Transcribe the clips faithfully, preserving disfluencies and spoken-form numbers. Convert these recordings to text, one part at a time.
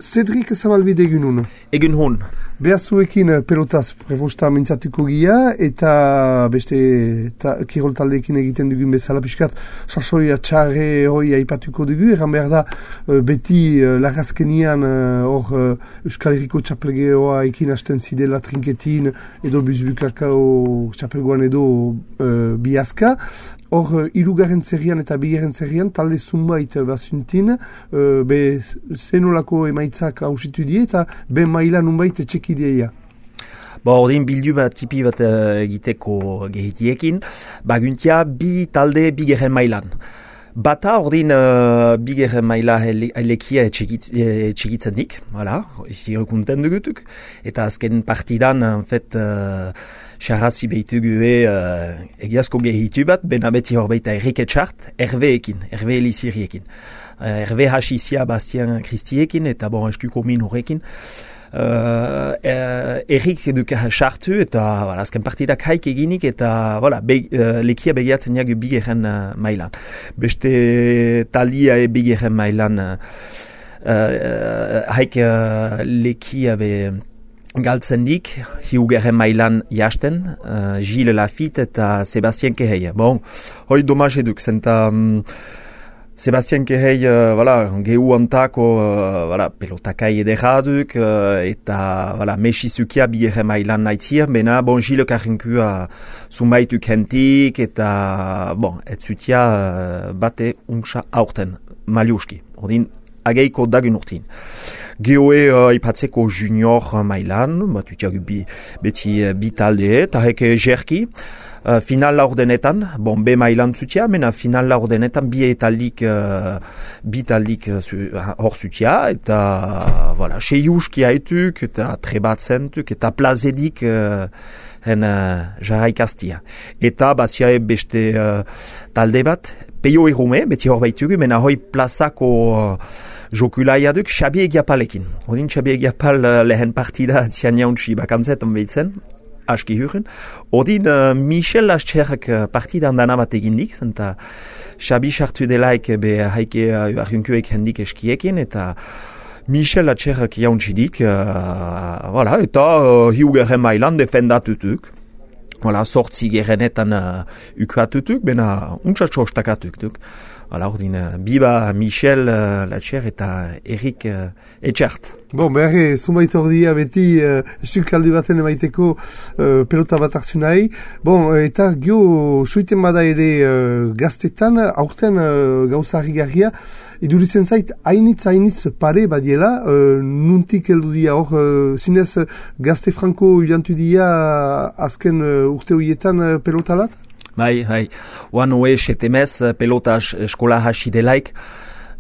Cedric Zabalbide egun hon. Egun hon. Behazuekin pelotaz prefosta mintzatuko gira eta beste ta, kirol taldeekin egiten dugun bezala pixkat sasoia txarre hoi aipatuko dugu. Erran behar da beti larrazkenian hor Euskal Herriko txapelgeoa ekin hasten zidela trinketin edo buzbukakao txapelgoan edo uh, biazka. Hor, irugarren zerrian eta bigarren zerrian, talde zumbait basuntin, uh, be zenolako emaitzak hausitu die, eta be maila nunbait txekideia. Bo, ordin bildu bat tipi bat uh, egiteko gehitiekin, baguntia bi talde bigarren mailan. Bata ordin uh, bigarren maila elekia txekitzen dik, voilà, izi rekunten dugutuk, eta azken partidan, en fait, uh, xarrazi behitugu e uh, egiazko gehitu bat, bena beti hor baita Erike Txart, Herveekin, Herve Eliziriekin. Uh, Herve Hasizia Bastian Kristiekin, eta bon, eskuko min horrekin. Uh, uh, Erik eduka sartu, eta voilà, azken partidak haik eginik, eta voilà, be, uh, lekia begiatzen jagu bigeren uh, mailan. Beste talia e bigeren mailan uh, uh, haik uh, lekia be galtzen dik, hiugarren mailan jasten, uh, Gilles Lafitte eta Sebastien Kehei. Bon, hoi domaz eduk, zenta um, Sebastien Kehei, uh, voilà, gehu antako, uh, voilà, pelotakai ederaduk, uh, eta, voilà, mesizukia bigarren mailan naitzir, bena, bon, Gilles Karrinkua zumaitu kentik, eta, bon, ez zutia uh, bate untsa aurten, maliuski, ordin, ageiko dagun urtin. Geoe uh, ipatzeko junior mailan, bat utiagu bi, beti uh, bi talde, eta heke jerki, uh, final laurdenetan, bon, be mailan zutia, mena final laurdenetan bi etaldik, uh, bi taldik uh, hor zutia, eta, voilà, seiuski haituk, eta trebatzentuk, eta plazedik, uh, en uh, jarraikaztia. Eta, baziae beste uh, talde bat, peio errume, beti hor baitugu, mena hoi plazako uh, jokulaia duk Xabi Egiapalekin. Odin Xabi Egiapal uh, lehen partida zian jauntzi bakantzetan behitzen, aski huren. Odin uh, Michel Lascherrak uh, partidan dana bat egindik, zenta Xabi sartu delaik be haike uh, arjunkuek hendik eskiekin, eta Michel Lascherrak jauntzi dik, uh, voilà, eta uh, hiugarren mailan defendatutuk. Voilà, sortzi gerenetan uh, ukuatutuk, bena untxatxostakatuk duk. Voilà, ordin, uh, biba Michel uh, Latxer eta Erik uh, Etxart. Bon, behar, zumbait ordia beti uh, estuk kaldu baten emaiteko uh, pelota bat hartzunai. Bon, eta gio suiten bada ere uh, gaztetan, aurten uh, gauza harrigarria, iduritzen zait, hainitz, hainitz pare badiela, uh, nuntik heldu dia hor, uh, zinez gazte franko ilantu dia azken uh, urte horietan uh, pelotalat? Bai, bai. Oan hoe setemez pelota eskola hasi delaik,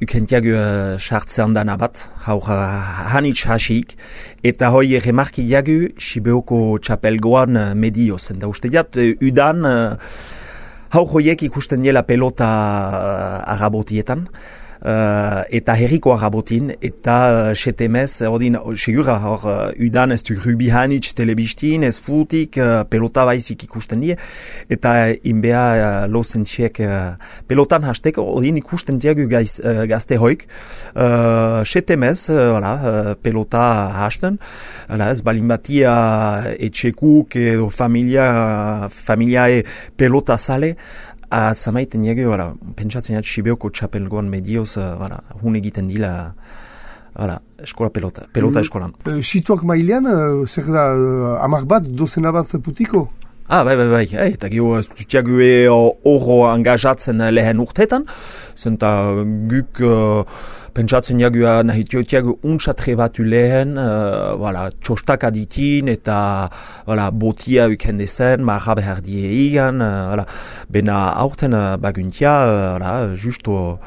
ukentiagu sartzean dana bat, haur hanitz hasiik, eta hoi remarki diagu Sibeoko txapelgoan medioz. Eta uste diat, udan haur hoiek ikusten diela pelota arabotietan, Uh, eta herriko arabotin, eta uh, setemez, ordin, segura, hor, uh, udan ez du rubi hanitz telebistin, ez futik, uh, pelota baizik ikusten die, eta inbea uh, lozentziek uh, pelotan hasteko, ordin ikusten diagu gaiz, uh, gazte hoik, uh, setemez, uh, voilà, uh, pelota hasten, uh, ez balin batia uh, etxekuk edo familia, uh, familiae pelota sale, Zamaiten jage, voilà, pentsatzen jat Sibeoko txapelgoan medioz, uh, voilà, hun egiten dila, voilà, eskola pelota, pelota mm. eskolan. Uh, Situak mailean, uh, zer da, uh, amar bat, dozena bat putiko? Ah, bai, bai, bai, hey, eta gio, dutiagu e oro angajatzen lehen urtetan, zenta guk uh, pentsatzen jagu nahitiotiagu untsatre batu lehen, uh, voilà, txostak aditin, eta voilà, botia uken dezen, marra behar die egan, uh, voilà, bena aurten uh, baguntia, uh, voilà, justo,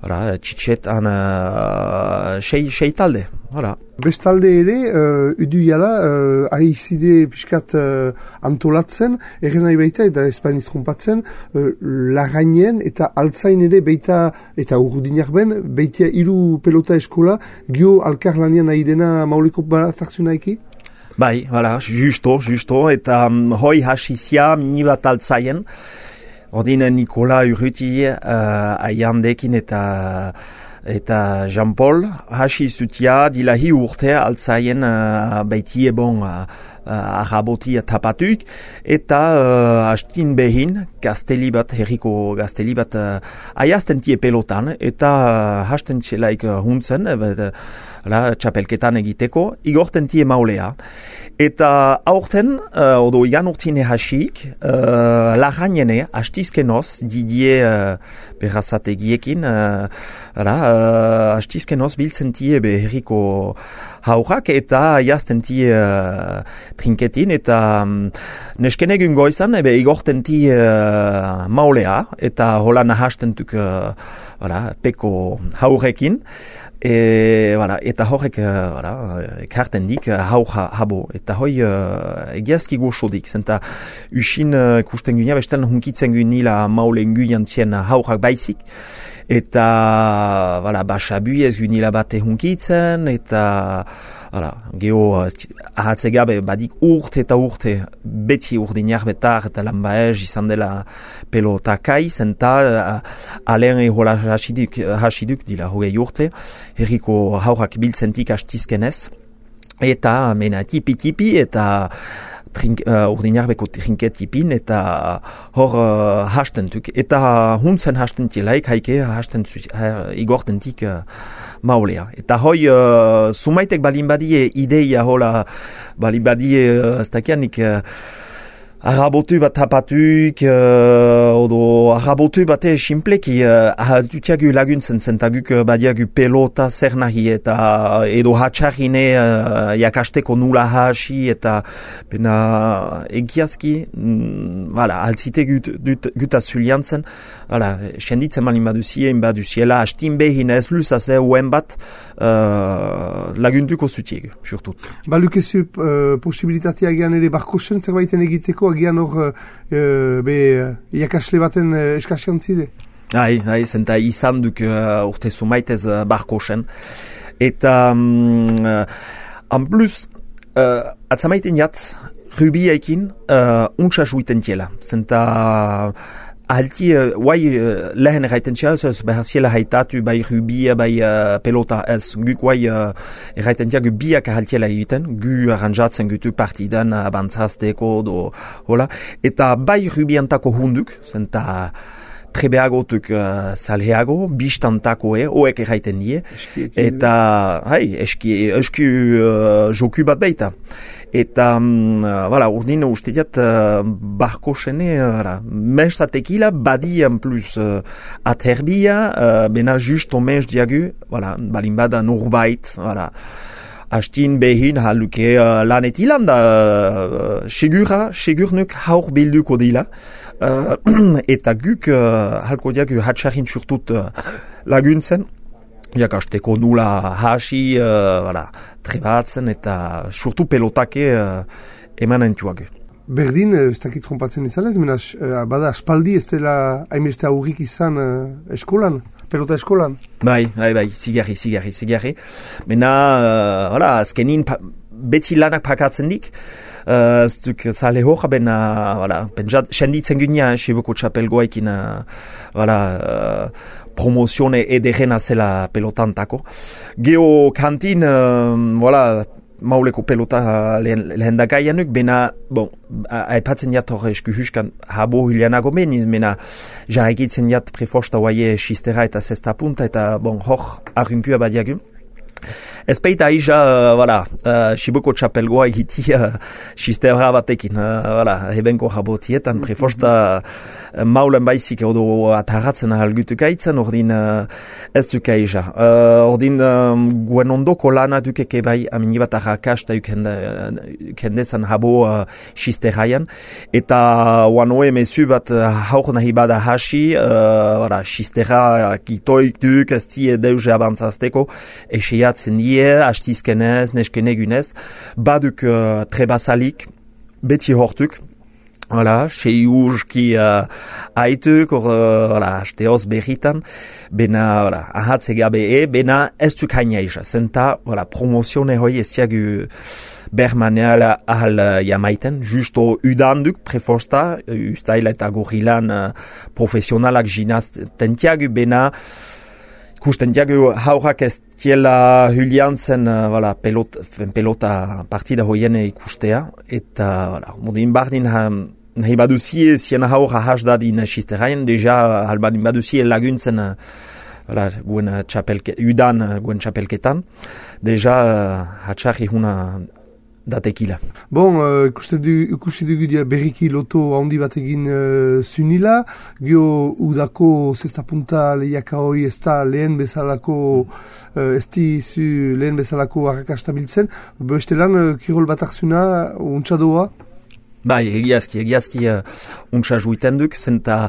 voilà, txitxetan uh, sei, sei talde, voilà. Bestalde ere, uh, udu jala, uh, ahizide piskat uh, antolatzen, erren nahi baita, eta espaniz trompatzen, uh, lagainen eta altzain ere baita, eta urrudinak ben, baitia hiru pelota eskola, gio alkar lanian nahi dena mauleko bat hartzu nahiki? Bai, voilà, justo, justo, eta um, hoi hasizia mini bat altzaien, ordin Nikola Urruti uh, aiandekin eta eta Jean-Paul hasi zutia dilahi urte altzaien uh, baitie bon uh, uh, arrabotia tapatuk eta uh, hastin behin gazteli bat, herriko gazteli bat uh, aiazten tie pelotan eta uh, hasten txelaik uh, huntzen uh, la, txapelketan egiteko igorten tie maulea eta aurten uh, odo igan urtine hasik uh, laganene hastizkenoz didie uh, berrazategiekin uh, uh, hastizkenoz biltzen tie herriko haurak eta jazten tie uh, trinketin eta um, neskenegun goizan ebe igorten tie uh, maulea eta hola nahastentuk uh, peko haurekin E, voilà, eta horrek voilà, ekarten dik hau habo. Eta hoi uh, egiazki goxodik. Zenta usin uh, kusten gunia, bestel hunkitzen gunila maulen guian zien haurak baizik. Eta voilà, basabuiez gunila bate hunkitzen. Eta voilà, geho ahatze gabe badik urte eta urte beti urdinak betar eta lan baez izan dela pelotakai. Zenta uh, alen ehola hasiduk, hasiduk dila hogei urte. Herriko haurak biltzentik hastizkenez, eta mena tipi-tipi, eta trink, uh, urdinarbeko trinketipin, eta hor uh, hastentuk. Eta huntzen hastentilaik, haike hastentuk uh, igortentik uh, maulea. Eta hoi, uh, sumaitek balin badie ideia hola, balin badie, uh, ez dakianik, uh, arrabotu bat tapatuk, uh, odo arrabotu bate simpleki uh, ahaltutiagu laguntzen zentaguk uh, badiagu pelota zer nahi eta edo hatxarine uh, jakasteko nula hasi eta bena egiazki mm, voilà, altzite gut, gut, guta zuliantzen voilà, senditzen malin baduzien baduziela hastin behin ez luzaze uen bat uh, laguntuko zutiegu, surtut. Balukezu uh, posibilitatea egean ere barkosen zerbaiten egiteko agian hor uh, be iakasle baten uh, eskasian zide? Hai, hai, zenta izan duk uh, urte zumaitez uh, barkosen. Eta, um, uh, en plus, uh, atzamaiten jat, rubiaikin uh, untsa juiten tiela. Zenta, ahalti, uh, guai uh, lehen erraiten tia, ez behar ziela haitatu, bai rubia, bai uh, pelota, ez guk guai uh, erraiten tia, gu biak ahaltiela egiten, gu arranjatzen gutu partidan abantzazteko, do, hola, eta bai rubiantako hunduk, zenta, trebeagotuk uh, salheago, bistantako e, oek erraiten die, eta, hai, eski, eski uh, joku bat baita. Eta, um, uh, voilà, urdin uste diat, uh, barko sene, uh, menstatekila, badi en plus uh, aterbia, uh, bena just omens diagu, voilà, balin bada norbait, voilà. Hastin behin haluke uh, lanet ilan da, uh, segura, segurnuk haur bilduko dila, uh, eta guk uh, halko diagu hatxarin surtut uh, laguntzen, jakasteko nula hasi, uh, voilà, trebatzen eta surtu pelotake uh, emanen tuag. Berdin, ez dakit trompatzen izanez, mena, uh, bada, aspaldi ez dela haimeste aurrik izan uh, eskolan, pelota eskolan? Bai, bai, bai, zigarri, zigarri, zigarri. Mena, uh, hola, azkenin pa, beti lanak pakatzen dik, uh, ez duk zale hoja, bena, hola, pentsat, senditzen gynia, seboko txapelgoaikin, uh, hola, uh, promozione ederena zela pelotantako. Geo kantin, uh, voilà, mauleko pelota lehen, lehen dagaianuk, bena, bon, aipatzen jat hor esku huskan habo hilianago meni, mena, ja egitzen jat prefosta oaie xistera eta zesta punta, eta bon, hor arrimpua badiagu. Ez peita aija, uh, voilà, uh, Shiboko txapelgoa egitia xistera batekin, uh, voilà, hebenko jabotietan, prefosta uh, maulen baizik edo ataratzen ahalgutuk aitzen, ordin uh, ez duk aija. Uh, ordin um, guen ondoko lana dukeke bai aminibat arrakasta ukendezan habo uh, xisteraian, eta wanoe mesu bat uh, haur nahi bada hasi, uh, voilà, xistera kitoik duk, ez die deuze abantzazteko, eseiatzen die, hastizkenez, neskenegunez, baduk uh, trebasalik, beti hortuk, voilà, sei urski uh, aituk, or, uh, voilà, hasteoz berritan, bena, voilà, ahatze gabe e, bena ez duk haina isa, zenta, voilà, promozione hoi ez diagu bermaneala ahal uh, jamaiten, justo udanduk prefosta, ustaila eta gorilan uh, profesionalak ginazten tiagu, bena, ikusten diagu haurrak ez diela huliantzen uh, voilà, pelot, pelota partida hoien ikustea, eta voilà, modin bardin ha, nahi baduzie zien haur ahas dadin sisteraien, deja halbadin baduzie laguntzen uh, voilà, guen txapelke, udan guen txapelketan, deja uh, hatxarri huna datekila. Bon, uh, ikusten du, ikusten dugu dia berriki loto handi bat egin uh, zunila, gio udako zesta punta lehiaka hoi ez da lehen bezalako, uh, ez dizu lehen bezalako harrakastabiltzen, beste lan uh, kirol bat arzuna untxadoa? Bai, egiazki, egiazki uh, untxa juiten duk, zenta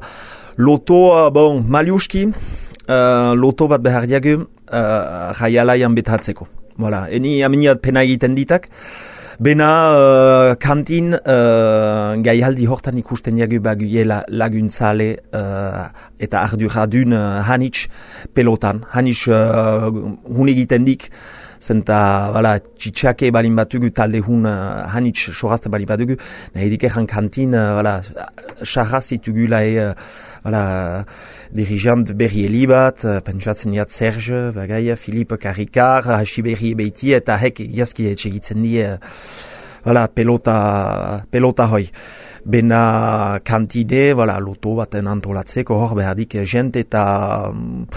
loto, uh, bon, maliuski, uh, loto bat behar diagu, uh, jaialaian betatzeko. Voilà, eni aminiat pena egiten ditak, bena uh, kantin uh, gaihaldi hortan ikusten diagu baguiela laguntzale uh, eta arduradun uh, hanitz pelotan. Hanitz uh, hun egiten dik, zenta voilà, txitxake balin batugu talde hun uh, hanitz sorazte balin batugu, nahi dikeran kantin uh, voilà, sarrazitugula e uh, voilà, dirigent berri elibat, uh, pentsatzen jat Serge, bagaia, Philippe Karikar, hasi berri ebeiti, eta hek egiazki etxegitzen die uh, voilà, pelota, pelota hoi. Bena kantide, voilà, loto baten antolatzeko hor behardik jent eta um,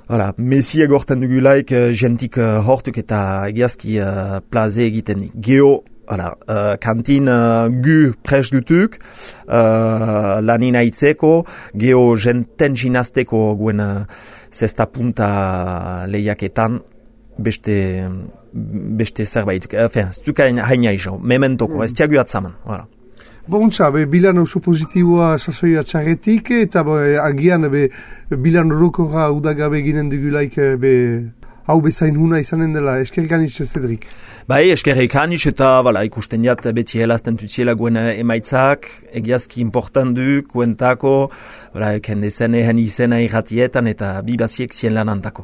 voilà, mesiek horten dugulaik jentik uh, hortuk eta egiazki uh, plaze egiten geo. Voilà, uh, kantin uh, gu pres dutuk, uh, lanin aitzeko, geho jenten jinazteko guen uh, zesta punta lehiaketan beste, beste zerbait. Enfin, ez duk haina izo, mementoko, ez tiagu atzaman. Voilà. Bontza, be, bilan oso positiboa sasoia txarretik, eta be, agian be, bilan orokorra udagabe ginen dugulaik be, hau bezain huna izanen dela, eskerrik anitz Cedrik. Bai, eskerrik anitz eta voilà, ikusten jat beti helazten tutziela guen emaitzak, egiazki important du, kuentako, voilà, kendezen ehen izena irratietan eta bibaziek zien lanantako.